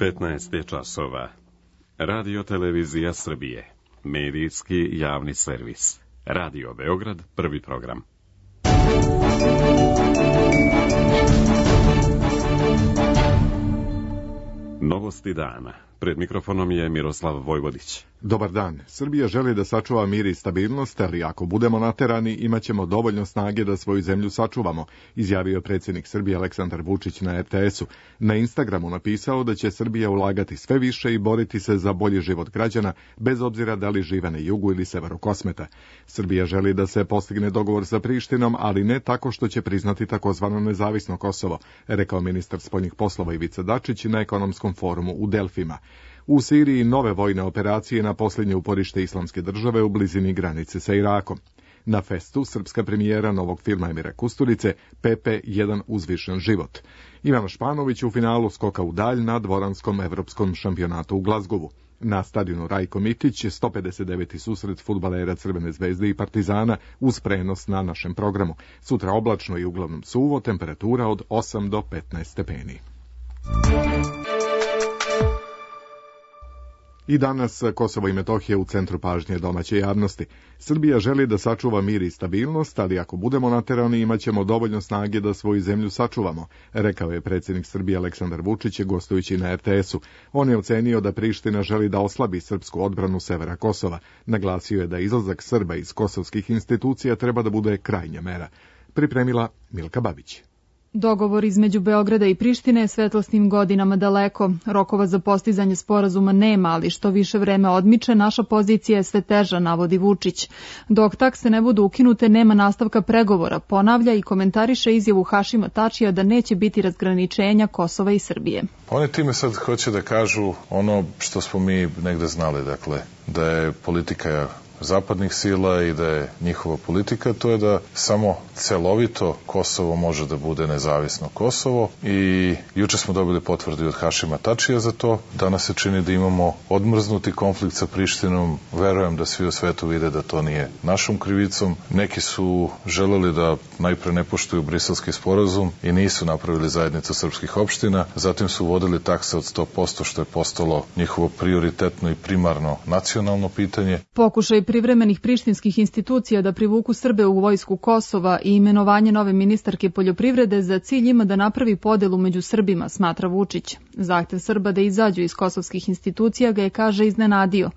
15 je časova. Radio Televizija Srbije. Medijski javni servis. Radio Beograd, prvi program. Novosti dana. Pred mikrofonom je Miroslav Vojvodić. Dobar dan. Srbija želi da sačuva mir i stabilnost, ali ako budemo naterani, imaćemo dovoljno snage da svoju zemlju sačuvamo, izjavio predsjednik Srbije Aleksandar Vučić na RTS-u. Na Instagramu napisao da će Srbija ulagati sve više i boriti se za bolji život građana, bez obzira da li žive na jugu ili severu Kosmeta. Srbija želi da se postigne dogovor sa Prištinom, ali ne tako što će priznati takozvano nezavisno Kosovo, rekao ministar spoljnih poslova Ivica Dačić na ekonomskom forumu u Delfima. U Siriji nove vojne operacije na posljednje uporište Islamske države u blizini granice sa Irakom. Na festu srpska premijera novog filma Emira Kusturice Pepe, jedan uzvišen život. Ivan Španović u finalu skoka u dalj na dvoranskom evropskom šampionatu u Glazgovu. Na stadionu Rajko Mitić 159. susret fudbalera Crvene zvezde i Partizana uz prenos na našem programu. Sutra oblačno i uglavnom suvo, temperatura od 8 do 15 stepeni. I danas Kosovo i Metohija u centru pažnje domaće javnosti. Srbija želi da sačuva mir i stabilnost, ali ako budemo naterani imaćemo dovoljno snage da svoju zemlju sačuvamo, rekao je predsjednik Srbije Aleksandar Vučić gostujući na RTS-u. On je ocenio da Priština želi da oslabi srpsku odbranu severa Kosova. Naglasio je da izlazak Srba iz kosovskih institucija treba da bude krajnja mera. Pripremila Milka Babić. Dogovor između Beograda i Prištine je svetlosnim godinama daleko. Rokova za postizanje sporazuma nema, ali što više vreme odmiče, naša pozicija je sve teža, navodi Vučić. Dok takse ne budu ukinute, nema nastavka pregovora, ponavlja i komentariše izjavu Hašima Tačija da neće biti razgraničenja Kosova i Srbije. Oni time sad hoće da kažu ono što smo mi negde znali, dakle, da je politika zapadnih sila i da je njihova politika, to je da samo celovito Kosovo može da bude nezavisno Kosovo i juče smo dobili potvrdu od Hašima Tačija za to. Danas se čini da imamo odmrznuti konflikt sa Prištinom. Verujem da svi u svetu vide da to nije našom krivicom. Neki su želeli da najpre ne poštuju Briselski sporazum i nisu napravili zajednicu srpskih opština. Zatim su uvodili takse od 100%, što je postalo njihovo prioritetno i primarno nacionalno pitanje. Pokušaj privremenih prištinskih institucija da privuku Srbe u vojsku Kosova i imenovanje nove ministarke poljoprivrede za cilj ima da napravi podelu među Srbima, smatra Vučić. Zahtev Srba da izađu iz kosovskih institucija ga je, kaže, iznenadio.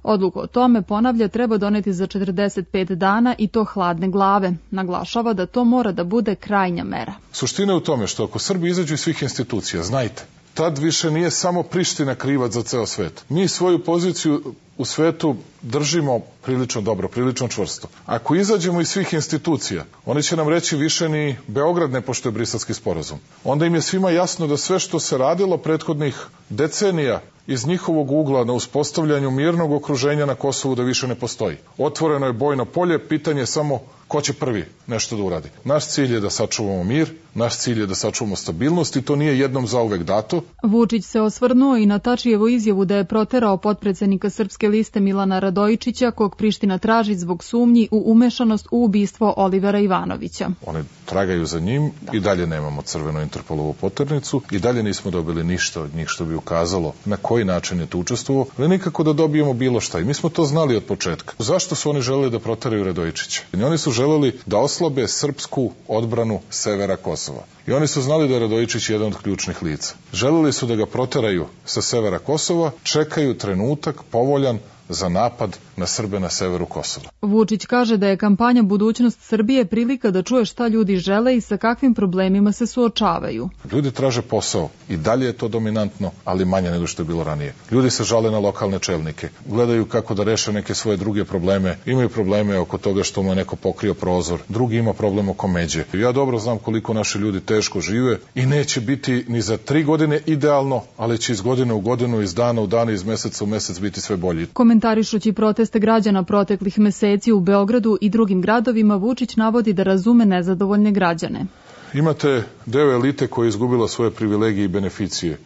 Odluku o tome, ponavlja, treba doneti za 45 dana i to hladne glave. Naglašava da to mora da bude krajnja mera. Suština je u tome što ako Srbi izađu iz svih institucija, znajte, tad više nije samo Priština krivac za ceo svet. Mi svoju poziciju u svetu držimo prilično dobro, prilično čvrsto. Ako izađemo iz svih institucija, oni će nam reći više ni Beograd ne poštuje Briselski sporazum. Onda im je svima jasno da sve što se radilo prethodnih decenija iz njihovog ugla na uspostavljanju mirnog okruženja na Kosovu da više ne postoji. Otvoreno je bojno polje, pitanje je samo ko će prvi nešto da uradi. Naš cilj je da sačuvamo mir, naš cilj je da sačuvamo stabilnost i to nije jednom zauvek dato. Vučić se osvrnuo i na Tačijevu izjavu da je proterao potpredsednika Srpske liste Milana Radojičića, kog Priština traži zbog sumnji u umešanost u ubistvo Olivera Ivanovića. Oni tragaju za njim i dalje nemamo crvenu Interpolovu poternicu i dalje nismo dobili ništa od njih što bi ukazalo na koji način je to učestvovao, ali nikako da dobijemo bilo šta. I mi smo to znali od početka. Zašto su oni želeli da proteraju Radojičića? Oni su želeli da oslabe srpsku odbranu severa Kosova. I oni su znali da je Radojičić jedan od ključnih lica. Želeli su da ga proteraju sa severa Kosova, čekaju trenutak povoljan za napad na Srbe na severu Kosova. Vučić kaže da je kampanja Budućnost Srbije prilika da čuje šta ljudi žele i sa kakvim problemima se suočavaju. Ljudi traže posao i dalje je to dominantno, ali manje nego što je bilo ranije. Ljudi se žale na lokalne čelnike, gledaju kako da reše neke svoje druge probleme, imaju probleme oko toga što mu je neko pokrio prozor, drugi ima problem oko međe. Ja dobro znam koliko naši ljudi teško žive i neće biti ni za 3 godine idealno, ali će iz godine u godinu, iz dana u dan, iz meseca u mesec biti sve bolji. Komentarišući proteste građana proteklih meseci u Beogradu i drugim gradovima, Vučić navodi da razume nezadovoljne građane. Imate deo elite koja je izgubila svoje privilegije i beneficije.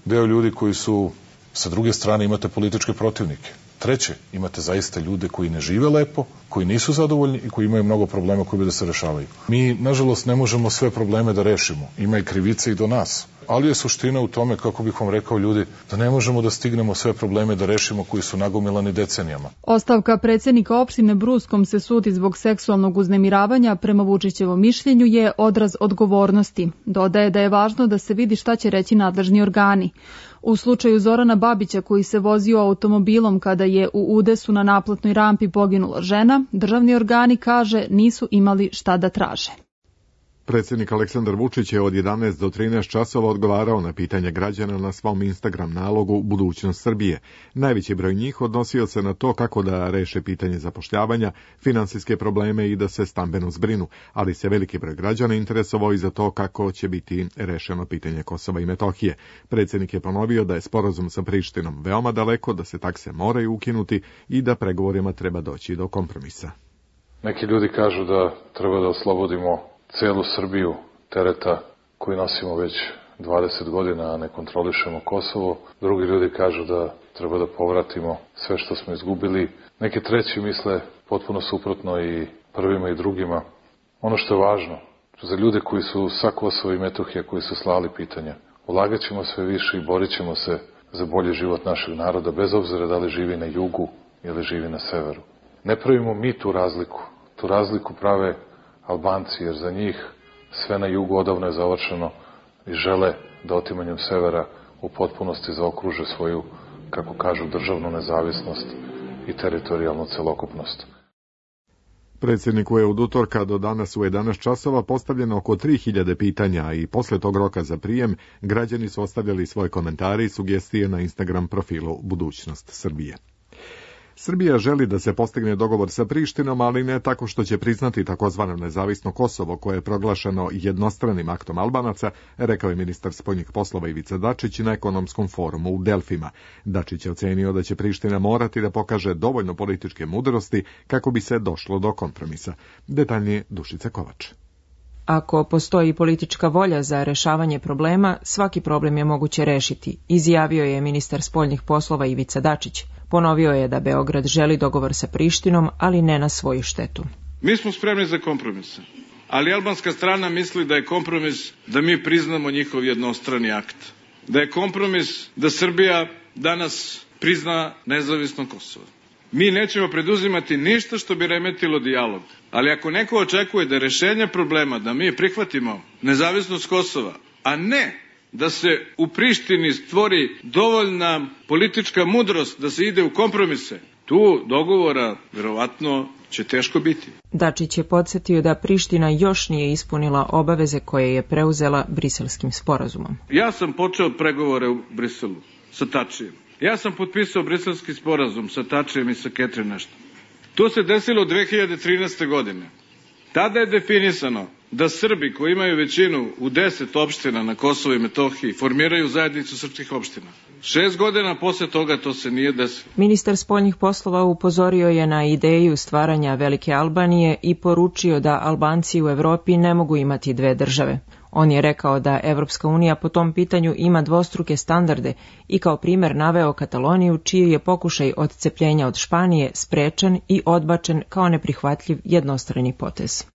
Deo ljudi koji su, sa druge strane, imate političke protivnike. Treće, imate zaista ljude koji ne žive lepo, koji nisu zadovoljni i koji imaju mnogo problema koji bi da se rešavaju. Mi, nažalost, ne možemo sve probleme da rešimo. Ima i krivice i do nas. ali je suština u tome, kako bih vam rekao ljudi, da ne možemo da stignemo sve probleme da rešimo koji su nagomilani decenijama. Ostavka predsjednika opštine Bruskom se sudi zbog seksualnog uznemiravanja, prema Vučićevom mišljenju je odraz odgovornosti. Dodaje da je važno da se vidi šta će reći nadležni organi. U slučaju Zorana Babića, koji se vozio automobilom kada je u udesu na naplatnoj rampi poginula žena, državni organi, kaže, nisu imali šta da traže. Predsjednik Aleksandar Vučić je od 11 do 13 časova odgovarao na pitanje građana na svom Instagram nalogu Budućnost Srbije. Najveći broj njih odnosio se na to kako da reše pitanje zapošljavanja, finansijske probleme i da se stambeno zbrinu, ali se veliki broj građana interesovao i za to kako će biti rešeno pitanje Kosova i Metohije. Predsjednik je ponovio da je sporazum sa Prištinom veoma daleko, da se takse moraju ukinuti i da pregovorima treba doći do kompromisa. Neki ljudi kažu da treba da oslobodimo celu Srbiju tereta koji nosimo već 20 godina, a ne kontrolišemo Kosovo. Drugi ljudi kažu da treba da povratimo sve što smo izgubili. Neki treći misle potpuno suprotno i prvima i drugima. Ono što je važno za ljude koji su sa Kosova i Metohije, koji su slali pitanja, ulagat ćemo sve više i borit ćemo se za bolji život našeg naroda, bez obzira da li živi na jugu ili živi na severu. Ne pravimo mi tu razliku prave Albanci, jer za njih sve na jugu odavno je završeno i žele da otimanjem severa u potpunosti zaokruže svoju, kako kažu, državnu nezavisnost i teritorijalnu celokupnost. Predsjedniku je od utorka do danas u 11 časova postavljeno oko 3000 pitanja i posle tog roka za prijem građani su ostavljali svoje komentare i sugestije na Instagram profilu Budućnost Srbije. Srbija želi da se postigne dogovor sa Prištinom, ali ne tako što će priznati takozvano nezavisno Kosovo, koje je proglašeno jednostranim aktom Albanaca, rekao je ministar spoljnih poslova Ivica Dačić na ekonomskom forumu u Delfima. Dačić je ocenio da će Priština morati da pokaže dovoljno političke mudrosti kako bi se došlo do kompromisa. Detaljnije Dušica Kovač. Ako postoji politička volja za rešavanje problema, svaki problem je moguće rešiti, izjavio je ministar spoljnih poslova Ivica Dačić. Ponovio je da Beograd želi dogovor sa Prištinom, ali ne na svoju štetu. Mi smo spremni za kompromise, ali albanska strana misli da je kompromis da mi priznamo njihov jednostrani akt. Da je kompromis da Srbija danas prizna nezavisno Kosovo. Mi nećemo preduzimati ništa što bi remetilo dijalog, ali ako neko očekuje da rešenje problema, da mi prihvatimo nezavisnost Kosova, a ne da se u Prištini stvori dovoljna politička mudrost da se ide u kompromise, tu dogovora verovatno će teško biti. Dačić je podsjetio da Priština još nije ispunila obaveze koje je preuzela Briselskim sporazumom. Ja sam počeo pregovore u Briselu sa Tačijem. Ja sam potpisao Briselski sporazum sa Tačijem i sa Catherine Ashton. To se desilo 2013. godine. Tada je definisano da Srbi koji imaju većinu u 10 opština na Kosovo i Metohiji formiraju zajednicu srpskih opština. 6 godina posle toga to se nije desilo. Ministar spoljnih poslova upozorio je na ideju stvaranja Velike Albanije i poručio da Albanci u Evropi ne mogu imati dve države. On je rekao da Evropska unija po tom pitanju ima dvostruke standarde i kao primer naveo Kataloniju, čiji je pokušaj odcepljenja od Španije sprečen i odbačen kao neprihvatljiv jednostrani potez.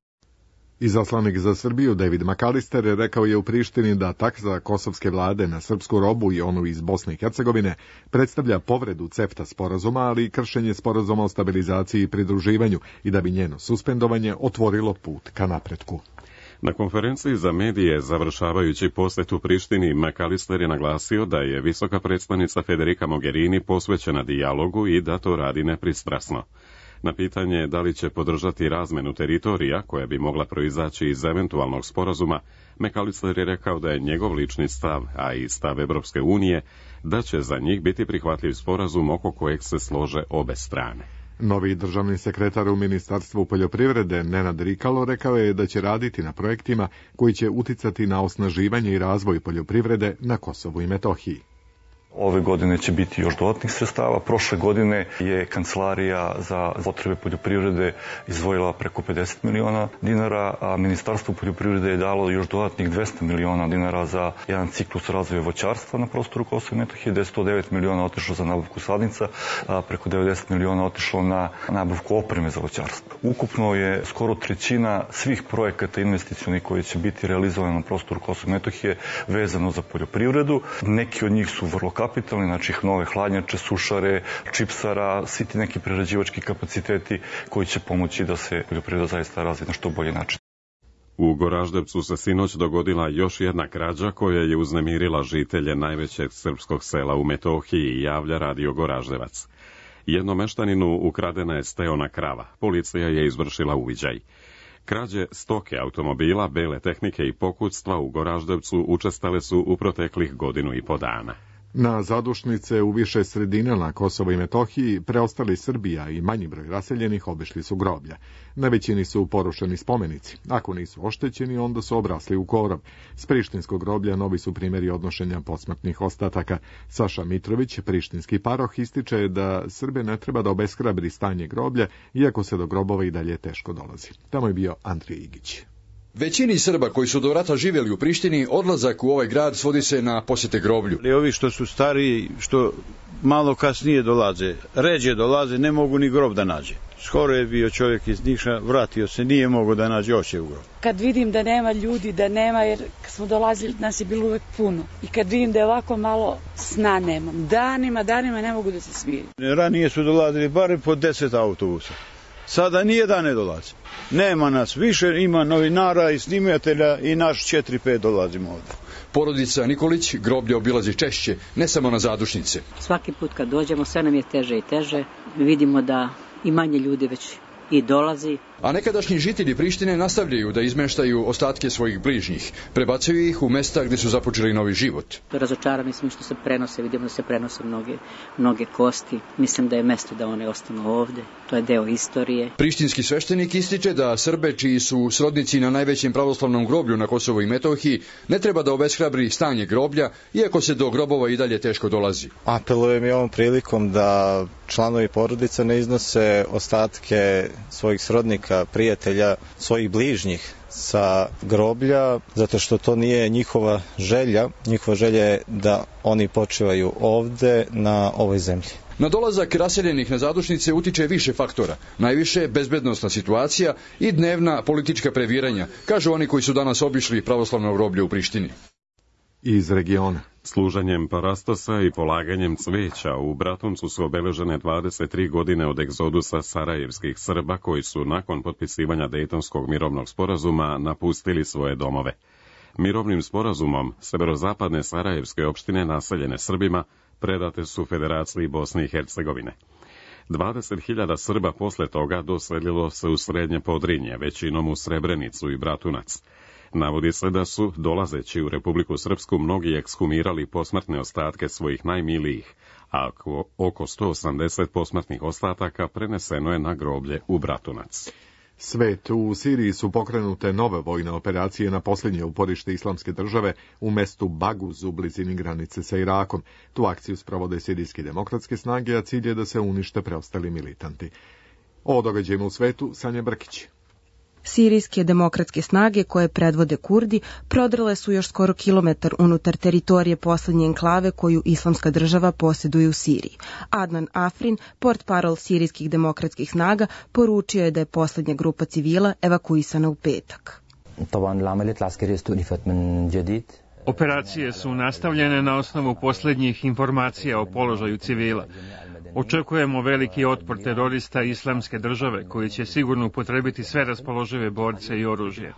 Izaslanik za Srbiju David McAllister rekao je u Prištini da taksa kosovske vlade na srpsku robu i onu iz Bosne i Hercegovine predstavlja povredu CEFTA sporazuma, ali i kršenje sporazuma o stabilizaciji i pridruživanju i da bi njeno suspendovanje otvorilo put ka napretku. Na konferenciji za medije, završavajući posjet u Prištini, McAllister je naglasio da je visoka predstavnica Federica Mogherini posvećena dijalogu i da to radi nepristrasno. Na pitanje da li će podržati razmenu teritorija koja bi mogla proizaći iz eventualnog sporazuma, McAllister je rekao da je njegov lični stav, a i stav Evropske unije, da će za njih biti prihvatljiv sporazum oko kojeg se slože obe strane. Novi državni sekretar u Ministarstvu poljoprivrede Nenad Rikalo rekao je da će raditi na projektima koji će uticati na osnaživanje i razvoj poljoprivrede na Kosovu i Metohiji. Ove godine će biti još dodatnih sredstava. Prošle godine je Kancelarija za potrebe poljoprivrede izdvojila preko 50 miliona dinara, a Ministarstvo poljoprivrede je dalo još dodatnih 200 miliona dinara za jedan ciklus razvoja voćarstva na prostoru Kosova i Metohije, gde je 109 miliona otišlo za nabavku sadnica, a preko 90 miliona otišlo na nabavku opreme za voćarstvo. Ukupno je skoro trećina svih projekata investicionih koji će biti realizovani na prostoru Kosova i Metohije vezano za poljoprivredu. Neki od njih su vrlo kapitalni, znači nove hladnjače, sušare, čipsara, svi ti neki prerađivački kapaciteti koji će pomoći da se poljoprivreda zaista razvije na što bolji način. U Goraždevcu se sinoć dogodila još jedna krađa koja je uznemirila žitelje najvećeg srpskog sela u Metohiji, javlja Radio Goraždevac. Jednom meštaninu ukradena je steona krava. Policija je izvršila uviđaj. Krađe stoke, automobila, bele tehnike i pokućstva u Goraždevcu učestale su u proteklih 1.5 godina. Na zadušnice u više sredina na Kosovo i Metohiji preostali Srbija i manji broj raseljenih obišli su groblja. Na većini su porušeni spomenici. Ako nisu oštećeni, onda su obrasli u korov. S prištinskog groblja novi su primjeri odnošenja posmrtnih ostataka. Saša Mitrović, prištinski paroh, ističe da Srbe ne treba da obeshrabri stanje groblja, iako se do grobova i dalje teško dolazi. Tamo je bio Andrija Igić. Većini Srba koji su do rata živjeli u Prištini, odlazak u ovaj grad svodi se na posjete groblju. Ovi što su stariji, što malo kasnije dolaze, ređe dolaze, ne mogu ni grob da nađe. Skoro je bio čovjek iz Niša, vratio se, nije mogao da nađe oće u grob. Kad vidim da nema ljudi, da nema, jer kad smo dolazili, nas je bilo uvek puno. I kad vidim da je ovako malo, sna nemam. Danima ne mogu da se smirim. Ranije su dolazili barem po 10 autobusa. Sada nijedan ne dolazi. Nema nas više, ima novinara i snimatelja i naš 4-5 dolazimo ovdje. Porodica Nikolić groblje obilazi češće, ne samo na zadušnice. Svaki put kad dođemo, sve nam je teže i teže. Vidimo da i manje ljudi već i dolazi. A nekadašnji žitelji Prištine nastavljaju da izmeštaju ostatke svojih bližnjih. Prebacuju ih u mesta gdje su započeli novi život. Razočarani smo što se prenose, vidimo da se prenose mnoge kosti. Mislim da je mesto da one ostanu ovdje. To je deo istorije. Prištinski sveštenik ističe da Srbe čiji su srodnici na najvećem pravoslavnom groblju na Kosovu i Metohiji ne treba da obeshrabri stanje groblja, iako se do grobova i dalje teško dolazi. Apelujem i ovom prilikom da članovi porodica ne iznose ostatke svojih srodnika, prijatelja, svojih bližnjih sa groblja, zato što to nije njihova želja. Njihova želja je da oni počivaju ovde na ovoj zemlji. Na dolazak raseljenih na zadušnice utiče više faktora. Najviše bezbednosna situacija i dnevna politička previranja, kažu oni koji su danas obišli pravoslavno groblje u Prištini. Iz regiona. Služenjem parastosa i polaganjem cveća u Bratuncu su obeležene 23 godine od egzodusa sarajevskih Srba koji su nakon potpisivanja Dejtonskog mirovnog sporazuma napustili svoje domove. Mirovnim sporazumom severozapadne sarajevske opštine naseljene Srbima predate su Federaciji Bosne i Hercegovine. 20.000 Srba posle toga doselilo se u Srednje Podrinje, većinom u Srebrenicu i Bratunac. Navodi se da su, dolazeći u Republiku Srpsku, mnogi ekshumirali posmrtne ostatke svojih najmilijih, a oko 180 posmrtnih ostataka preneseno je na groblje u Bratunac. Svet, u Siriji su pokrenute nove vojne operacije na posljednje uporište Islamske države u mestu Baguz u blizini granice sa Irakom. Tu akciju sprovode sirijske demokratske snage, a cilj je da se unište preostali militanti. O događajima u svetu, Sanja Brkić. Sirijske demokratske snage, koje predvode Kurdi, prodrle su još skoro kilometar unutar teritorije poslednje enklave koju Islamska država posjeduje u Siriji. Adnan Afrin, portparol sirijskih demokratskih snaga, poručio je da je poslednja grupa civila evakuisana u petak. Operacije su nastavljene na osnovu posljednjih informacija o položaju civila. Očekujemo veliki otpor terorista Islamske države koji će sigurno upotrebiti sve raspoložive borce i oružje.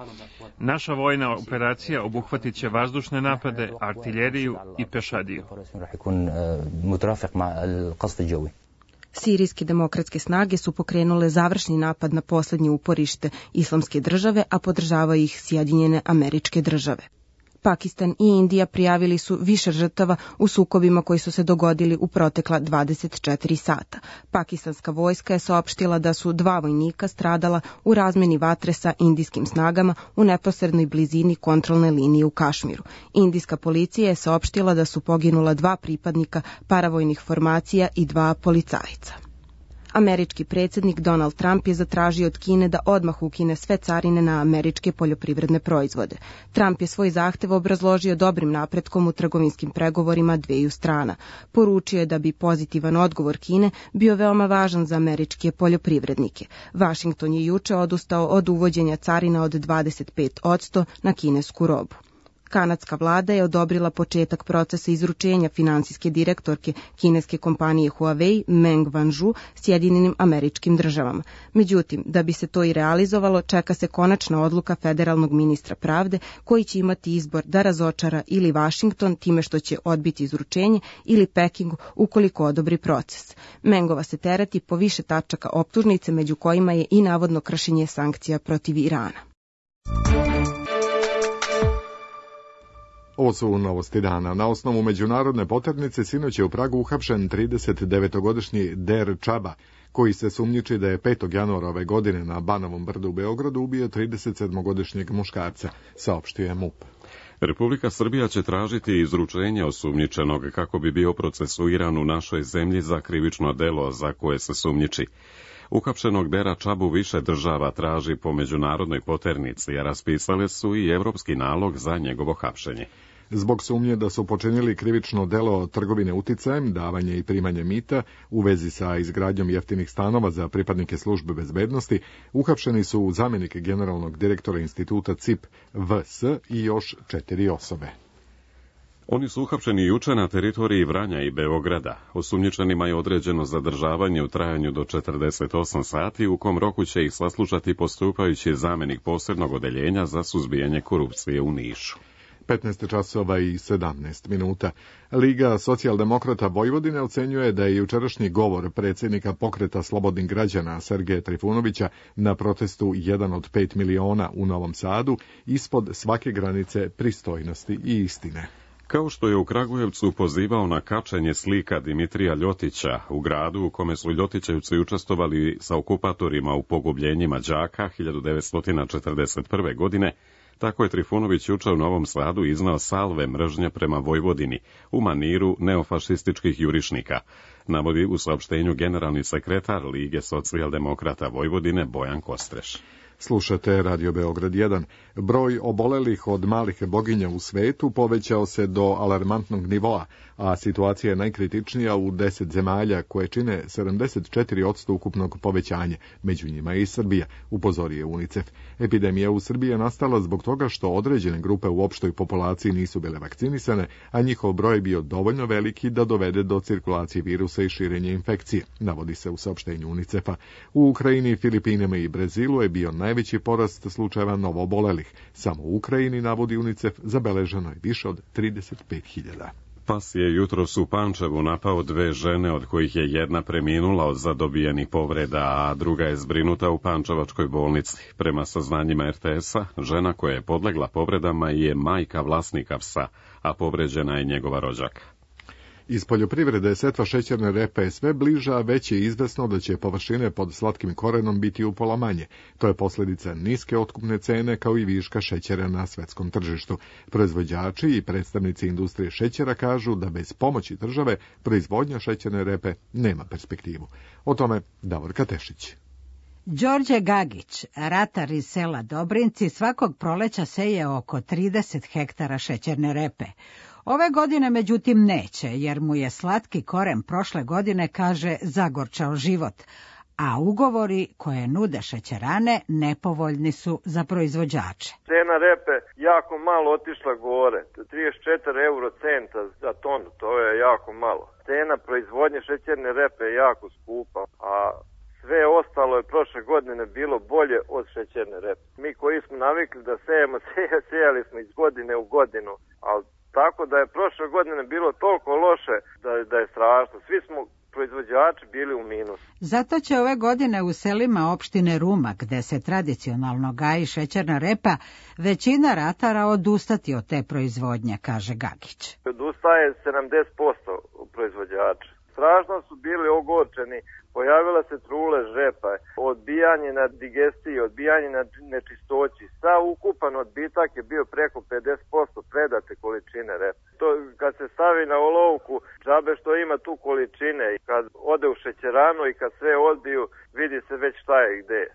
Naša vojna operacija obuhvatit će vazdušne napade, artiljeriju i pešadiju. Sirijske demokratske snage su pokrenule završni napad na posljednje uporište Islamske države, a podržavaju ih Sjedinjene Američke Države. Pakistan i Indija prijavili su više žrtava u sukobima koji su se dogodili u protekla 24 sata. Pakistanska vojska je saopštila da su 2 vojnika stradala u razmeni vatre sa indijskim snagama u neposrednoj blizini kontrolne linije u Kašmiru. Indijska policija je saopštila da su poginula 2 pripadnika paravojnih formacija i 2 policajca. Američki predsjednik Donald Trump je zatražio od Kine da odmah ukine sve carine na američke poljoprivredne proizvode. Trump je svoj zahtev obrazložio dobrim napretkom u trgovinskim pregovorima dveju strana. Poručio je da bi pozitivan odgovor Kine bio veoma važan za američke poljoprivrednike. Washington je juče odustao od uvođenja carina od 25% na kinesku robu. Kanadska vlada je odobrila početak procesa izručenja finansijske direktorke kineske kompanije Huawei Meng Wanzhou Sjedinjenim Američkim Državama. Međutim, da bi se to i realizovalo, čeka se konačna odluka federalnog ministra pravde koji će imati izbor da razočara ili Washington time što će odbiti izručenje ili Peking ukoliko odobri proces. Mengova se tereti po više tačaka optužnice, među kojima je i navodno kršenje sankcija protiv Irana. Ovo su novosti dana. Na osnovu međunarodne poternice sinoć je u Pragu uhapšen 39-godišnji Der Čaba, koji se sumnjiči da je 5. januara ove godine na Banovom brdu u Beogradu ubio 37-godišnjeg muškarca, saopštio je MUP. Republika Srbija će tražiti izručenje osumnjičenog kako bi bio procesuiran u našoj zemlji za krivično delo za koje se sumnjiči. Uhapšenog Dera Čabu više država traži po međunarodnoj poternici, a raspisale su i evropski nalog za njegovo hapšenje. Zbog sumnje da su počinili krivično delo trgovine uticajem, davanje i primanje mita u vezi sa izgradnjom jeftinih stanova za pripadnike službe bezbednosti, uhapšeni su zamjenik generalnog direktora instituta CIP VS i još 4 osobe. Oni su uhapšeni juče na teritoriji Vranja i Beograda. Osumnjičenima je određeno zadržavanje u trajanju do 48 sati, u kom roku će ih saslušati postupajući zamjenik posebnog odeljenja za suzbijanje korupcije u Nišu. 15 časova i 17 minuta. Liga socijaldemokrata Vojvodine ocenjuje da je jučerašnji govor predsjednika Pokreta slobodnih građana Sergeja Trifunovića na protestu 1 od 5 miliona u Novom Sadu ispod svake granice pristojnosti i istine. Kao što je u Kragujevcu pozivao na kačenje slika Dimitrija Ljotića u gradu u kome su Ljotićevci učestvovali sa okupatorima u pogubljenjima đaka 1941. godine, tako je Trifunović juče u Novom Sadu iznao salve mržnje prema Vojvodini u maniru neofašističkih jurišnika, navodi u saopštenju generalni sekretar Lige socijaldemokrata Vojvodine Bojan Kostreš. Slušate Radio Beograd 1. Broj obolelih od malih boginja u svetu povećao se do alarmantnog nivoa, a situacija je najkritičnija u 10 zemalja koje čine 74% ukupnog povećanja, među njima i Srbija, upozorio je UNICEF. Epidemija u Srbiji je nastala zbog toga što određene grupe u opštoj populaciji nisu bile vakcinisane, a njihov broj je bio dovoljno veliki da dovede do cirkulacije virusa i širenja infekcije, navodi se u saopštenju UNICEF-a. U Ukrajini, Filipinima i Brazilu je bio najveći porast slučajeva novoobolelih. Samo u Ukrajini, navodi UNICEF, zabeleženo je više od 35.000. Pas je jutros u Pančevu napao 2 žene, od kojih je jedna preminula od zadobijenih povreda, a druga je zbrinuta u pančevačkoj bolnici. Prema saznanjima RTS-a, žena koja je podlegla povredama je majka vlasnika psa, a povređena je njegova rođaka. Iz poljoprivrede setva šećerne repe je sve bliža, a već je izvesno da će površine pod slatkim korenom biti upola manje. To je posljedica niske otkupne cene kao i viška šećera na svetskom tržištu. Proizvođači i predstavnici industrije šećera kažu da bez pomoći države proizvodnja šećerne repe nema perspektivu. O tome Davorka Tešić. Đorđe Gagić, ratar iz sela Dobrinci, svakog proleća seje oko 30 hektara šećerne repe. Ove godine, međutim, neće, jer mu je slatki koren prošle godine, kaže, zagorčao život, a ugovori koje nude šećerane nepovoljni su za proizvođače. Cena repe jako malo otišla gore, 34 eurocenta za tonu, to je jako malo. Cena proizvodnje šećerne repe je jako skupa, a sve ostalo je prošle godine bilo bolje od šećerne repe. Mi koji smo navikli da sejemo, sejali smo iz godine u godinu, ali tako da je prošle godine bilo toliko loše da je strašno. Svi smo proizvođači bili u minusu. Zato će ove godine u selima opštine Ruma, gde se tradicionalno gaji šećerna repa, većina ratara odustati od te proizvodnje, kaže Gagić. Odustaje 70% proizvođača. Strašno su bili ogorčeni, pojavila se trulež repa, odbijanje na digestiji, odbijanje na nečistoći. Sav ukupan odbitak je bio preko 50% predate količine repa. To kad se stavi na olovku, džabe što ima tu količine, i kad ode u šećeranu i kad sve odbiju, vidi se već šta je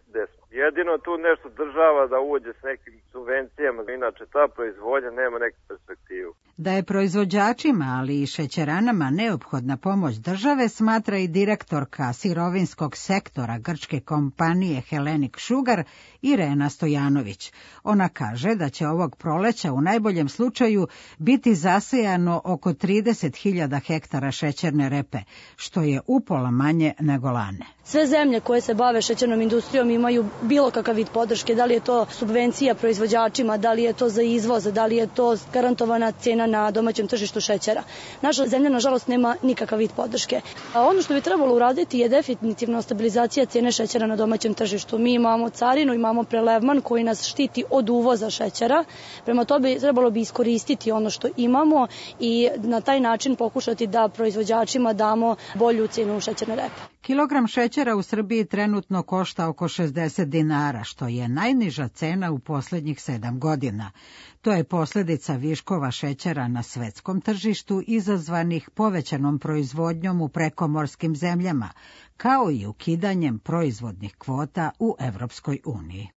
gde smo. Jedino tu nešto država da uđe s nekim subvencijama, inače ta proizvodnja nema neku perspektivu. Da je proizvođačima, ali i šećeranama neophodna pomoć države, smatra i direktorka sirovinskog sektora grčke kompanije Hellenic Sugar Irena Stojanović. Ona kaže da će ovog proleća u najboljem slučaju biti zasejano oko 30.000 hektara šećerne repe, što je upola manje nego lane. Sve zemlje koje se bave šećernom industrijom imaju bilo kakav vid podrške, da li je to subvencija proizvođačima, da li je to za izvoz, da li je to garantovana cena na domaćem tržištu šećera. Naša zemlja, nažalost, nema nikakav vid podrške. A ono što bi trebalo uraditi je definitivno stabilizacija cene šećera na domaćem tržištu. Mi imamo carinu, imamo prelevman koji nas štiti od uvoza šećera. Prema tome trebalo bi iskoristiti ono što imamo i na taj način pokušati da proizvođačima damo bolju cenu šećerne repe. Kilogram šećera u Srbiji trenutno košta oko 60 dinara, što je najniža cena u posljednjih 7 godina. To je posljedica viškova šećera na svetskom tržištu izazvanih povećanom proizvodnjom u prekomorskim zemljama, kao i ukidanjem proizvodnih kvota u Evropskoj uniji.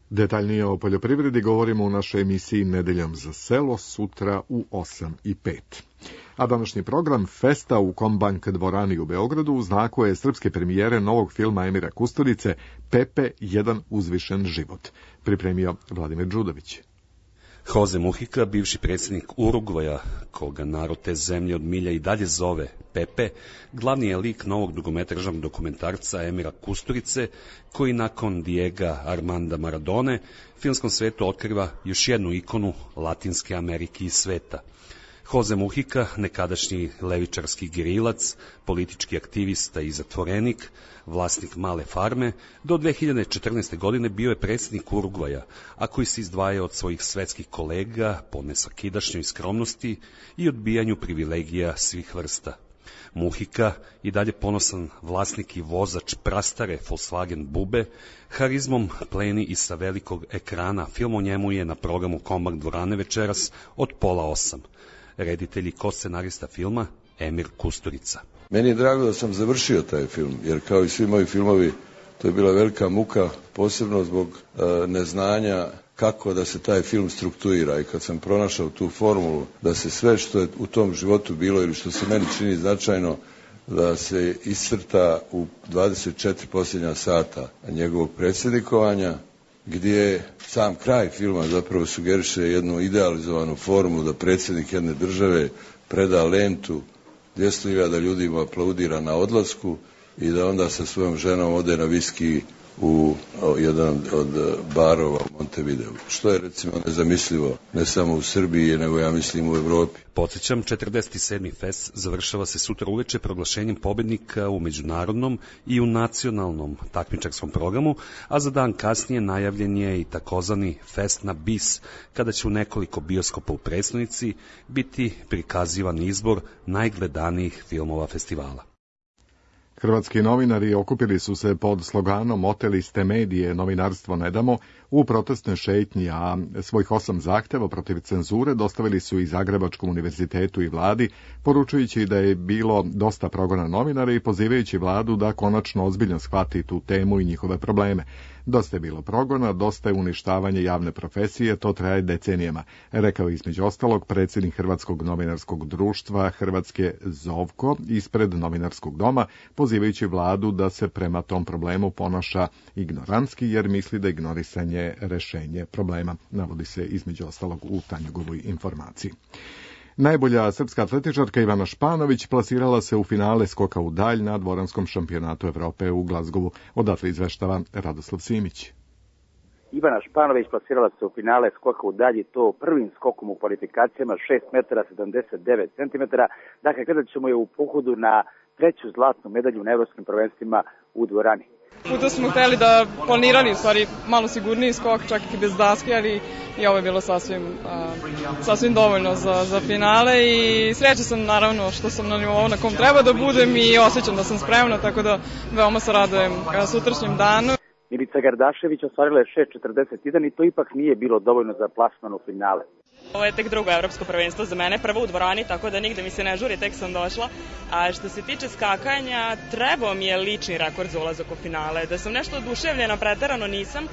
Detaljnije o poljoprivredi govorimo u našoj emisiji Nedeljom za selo sutra u 8:05. A današnji program Festa u Kombank dvorani u Beogradu u znaku je srpske premijere novog filma Emira Kusturice Pepe, jedan uzvišen život. Pripremio Vladimir Đudović. Jose Mujica, bivši predsjednik Urugvaja, koga narod te zemlje od milja i dalje zove Pepe, glavni je lik novog dugometražnog dokumentarca Emira Kusturice, koji nakon Diega Armanda Maradone filmskom svetu otkriva još jednu ikonu Latinske Amerike i sveta. Jose Mujica, nekadašnji levičarski gerilac, politički aktivista i zatvorenik, vlasnik male farme, do 2014. godine bio je predsjednik Urugvaja, a koji se izdvaja od svojih svetskih kolega po nesvakidašnjoj skromnosti i odbijanju privilegija svih vrsta. Mujica, i dalje ponosan vlasnik i vozač prastare Volkswagen Bube, harizmom pleni i sa velikog ekrana. Film o njemu je na programu Kombank dvorane večeras od 7:30. Reditelj i ko-scenarista filma Emir Kusturica. Meni je drago da sam završio taj film, jer kao i svi moji filmovi, to je bila velika muka, posebno zbog neznanja kako da se taj film strukturira. I kad sam pronašao tu formulu da se sve što je u tom životu bilo ili što se meni čini značajno, da se iscrta u 24 posljednja sata njegovog predsjednikovanja, gdje sam kraj filma zapravo sugeriše jednu idealizovanu formu da predsjednik jedne države preda lentu, 200.000 ljudi mu aplaudira na odlasku i da onda sa svojom ženom ode na viski u jedan od barova u Montevideu. Što je recimo nezamislivo ne samo u Srbiji, nego ja mislim u Evropi. Podsjećam, 47. fest završava se sutra uveče proglašenjem pobednika u međunarodnom i u nacionalnom takmičarskom programu, a za dan kasnije najavljen je i takozvani fest na bis, kada će u nekoliko bioskopa u prestonici biti prikazivan izbor najgledanijih filmova festivala. Hrvatski novinari okupili su se pod sloganom Oteli ste medije, novinarstvo ne damo, u protestnoj šetnji, a svojih 8 zahteva protiv cenzure dostavili su i Zagrebačkom univerzitetu i vladi, poručujući da je bilo dosta progona novinara i pozivajući vladu da konačno ozbiljno shvati tu temu i njihove probleme. Dosta je bilo progona, dosta je uništavanje javne profesije, to traje decenijama, rekao između ostalog predsjednik Hrvatskog novinarskog društva Hrvatske Zovko ispred novinarskog doma, pozivajući vladu da se prema tom problemu ponaša ignorantski jer misli da ignorisanje rešenje problema, navodi se između ostalog u Tanjugovoj informaciji. Najbolja srpska atletičarka Ivana Španović plasirala se u finale skoka u dalj na dvoranskom šampionatu Evrope u Glazgovu. Odatle izveštava Radoslav Simić. Ivana Španović plasirala se u finale skoka u dalji, to prvim skokom u kvalifikacijama, 6 metara 79 centimetara. Dakle, gledat ćemo je u pohodu na treću zlatnu medalju na evropskim prvenstvima u dvorani. Puta smo hteli da planirali, u stvari, malo sigurniji skok, čak i bez daske, ali i ovo je bilo sasvim dovoljno za finale i sreća sam naravno što sam na nivou na kom treba da budem i osjećam da sam spremna, tako da veoma se radujem sutrašnjem danu. Milica Gardašević ostvarila je 6.41 i to ipak nije bilo dovoljno za plasman u finale. Ovo je tek drugo evropsko prvenstvo za mene, prvo u dvorani, tako da nigde mi se ne žuri, tek sam došla. A što se tiče skakanja, trebao mi je lični rekord za ulazak u finale. Da sam nešto oduševljena, preterano nisam,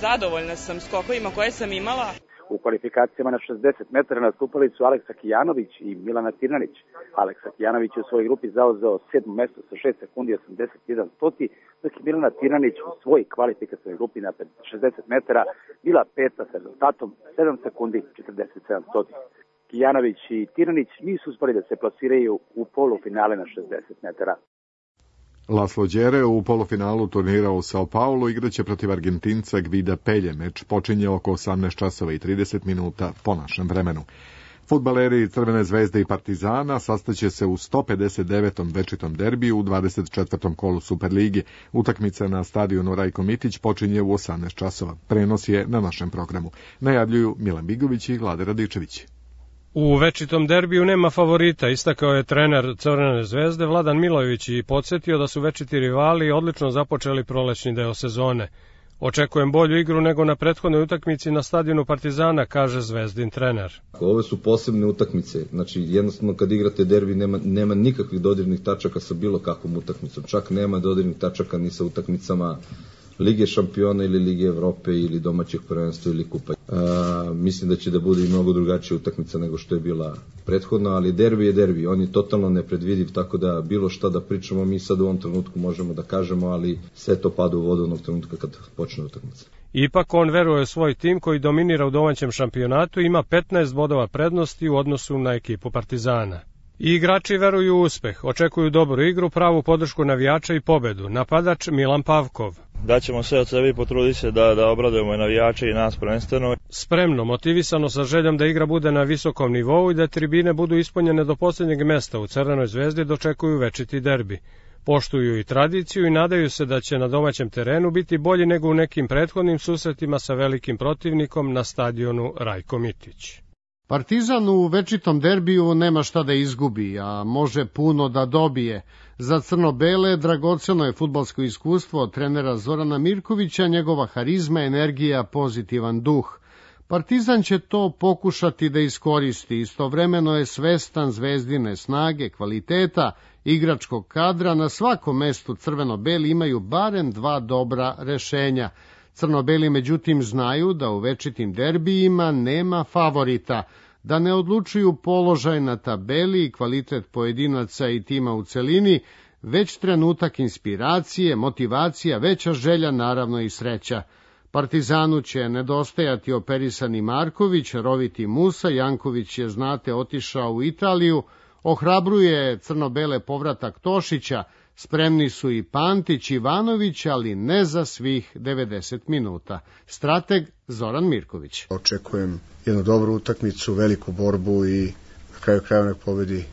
zadovoljna sam skokovima koje sam imala. U kvalifikacijama na 60 metara nastupali su Aleksa Kijanović i Milana Tirnanić. Aleksa Kijanović je u svojoj grupi zauzeo 7. mesto sa 6 sekundi 81 stoti, dok je Milana Tirnanić u svojoj kvalifikacijnoj grupi na 60 metara bila peta sa rezultatom 7 sekundi 47 stoti. Kijanović i Tirnanić nisu uspeli da se plasiraju u polufinale na 60 metara. Laslo Đere u polufinalu turnira u Sao Paulo igraće protiv Argentinca Gvida Pelje. Meč počinje oko 18 časova i 30 minuta po našem vremenu. Fudbaleri Crvene zvezde i Partizana sastaće se u 159. večitom derbiju u 24. kolu Superlige. Utakmica na stadionu Rajko Mitić počinje u 18 časova. Prenos je na našem programu. Najavljuju Milan Bigović i Vlade Radičević. U večitom derbiju nema favorita, istakao je trener Crvene zvezde Vladan Milojević i podsjetio da su večiti rivali odlično započeli prolećni deo sezone. Očekujem bolju igru nego na prethodnoj utakmici na stadionu Partizana, kaže zvezdin trener. Ove su posebne utakmice, znači jednostavno kad igrate derbi nema nikakvih dodirnih tačaka sa bilo kakvom utakmicom, čak nema dodirnih tačaka ni sa utakmicama Lige šampiona ili Lige Evrope ili domaćeg prvenstva ili kupa. Mislim da će da bude i mnogo drugačija utakmica nego što je bila prethodna, ali derbi je derbi, on je totalno nepredvidiv, tako da bilo šta da pričamo mi sad u ovom trenutku možemo da kažemo, ali sve to pada u vodu onog trenutka kad počne utakmica. Ipak on veruje u svoj tim koji dominira u domaćem šampionatu i ima 15 bodova prednosti u odnosu na ekipu Partizana. I igrači veruju u uspeh, očekuju dobru igru, pravu podršku navijača i pobedu. Napadač Milan Pavkov. Daćemo sve od sebe i potruditi se da obradujemo i navijače i nas prvenstveno. Spremno, motivisano sa željom da igra bude na visokom nivou i da tribine budu ispunjene do posljednjeg mesta u Crvenoj zvezdi dočekuju večiti derbi. Poštuju i tradiciju i nadaju se da će na domaćem terenu biti bolji nego u nekim prethodnim susretima sa velikim protivnikom na stadionu Rajko Mitić. Partizan u večitom derbiju nema šta da izgubi, a može puno da dobije. Za crno-bele dragoceno je fudbalsko iskustvo od trenera Zorana Mirkovića, njegova harizma, energija, pozitivan duh. Partizan će to pokušati da iskoristi, istovremeno je svestan zvezdine snage, kvaliteta, igračkog kadra, na svakom mestu crveno-beli imaju barem 2 dobra rešenja. Crno-beli međutim znaju da u večitim derbijima nema favorita, da ne odlučuju položaj na tabeli i kvalitet pojedinaca i tima u celini, već trenutak inspiracije, motivacija, veća želja, naravno i sreća. Partizanu će nedostajati operisani Marković, roviti Musa, Janković je, znate, otišao u Italiju, ohrabruje crno-bele povratak Tošića, spremni su i Pantić, Ivanović, ali ne za svih 90 minuta. Strateg Zoran Mirković. Očekujem jednu dobru utakmicu, veliku borbu i na kraju krajeva nek pobedi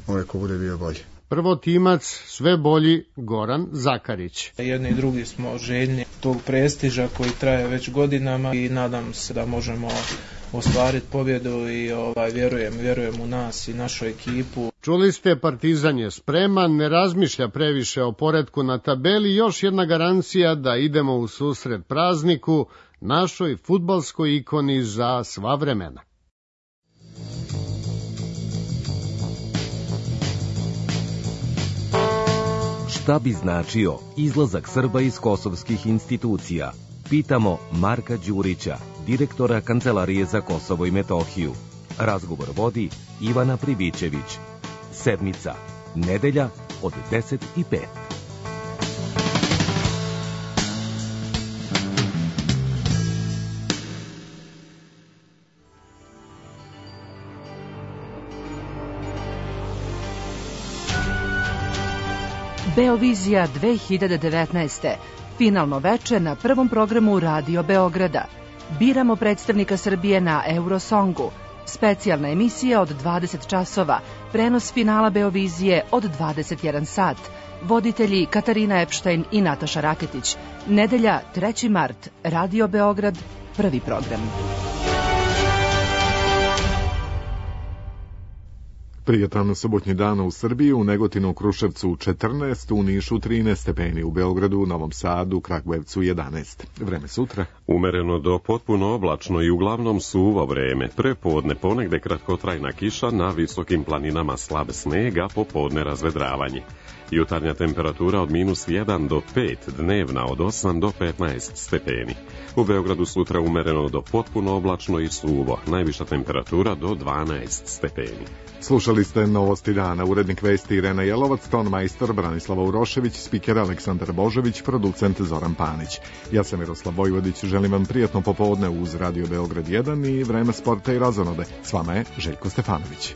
onaj ko bude bio bolji. Prvotimac, sve bolji, Goran Zakarić. Jedni i drugi smo željni tog prestiža koji traje već godinama i nadam se da možemo ostvariti pobjedu i vjerujem u nas i našu ekipu. Čuli ste, Partizan je spreman, ne razmišlja previše o poretku na tabeli, još jedna garancija da idemo u susret prazniku, našoj fudbalskoj ikoni za sva vremena. Šta bi značio izlazak Srba iz kosovskih institucija? Pitamo Marka Đurića, direktora Kancelarije za Kosovo i Metohiju. Razgovor vodi Ivana Privićević. Sedmica, nedelja od 10:05. Beovizija 2019. Finalno veče na prvom programu Radio Beograda. Biramo predstavnika Srbije na Eurosongu. Specijalna emisija od 20 časova, prenos finala Beovizije od 21 sat. Voditelji Katarina Epštajn i Nataša Raketić. Nedelja, 3. mart, Radio Beograd, prvi program. Prijatan subotnji dan u Srbiji, u Negotinu, Kruševcu 14, u Nišu 13 stepeni, u Beogradu, Novom Sadu, Kragujevcu 11. Vreme sutra. Umereno do potpuno oblačno i uglavnom suvo vreme. Prepodne ponegde kratkotrajna kiša, na visokim planinama slab sneg, a popodne razvedravanje. Jutarnja temperatura od -1 do 5, dnevna od 8 do 15 stepeni. U Beogradu sutra umereno do potpuno oblačno i suvo, najviša temperatura do 12 stepeni. Slušali ste Novosti dana, urednik vesti Irena Jelovac, ton majstor Branislava Urošević, spiker Aleksandar Božović, producent Zoran Panić. Ja sam Miroslav Vojvodić, želim vam prijatno popodne uz Radio Beograd 1 i vreme sporta i razonode. S vama je Željko Stefanović.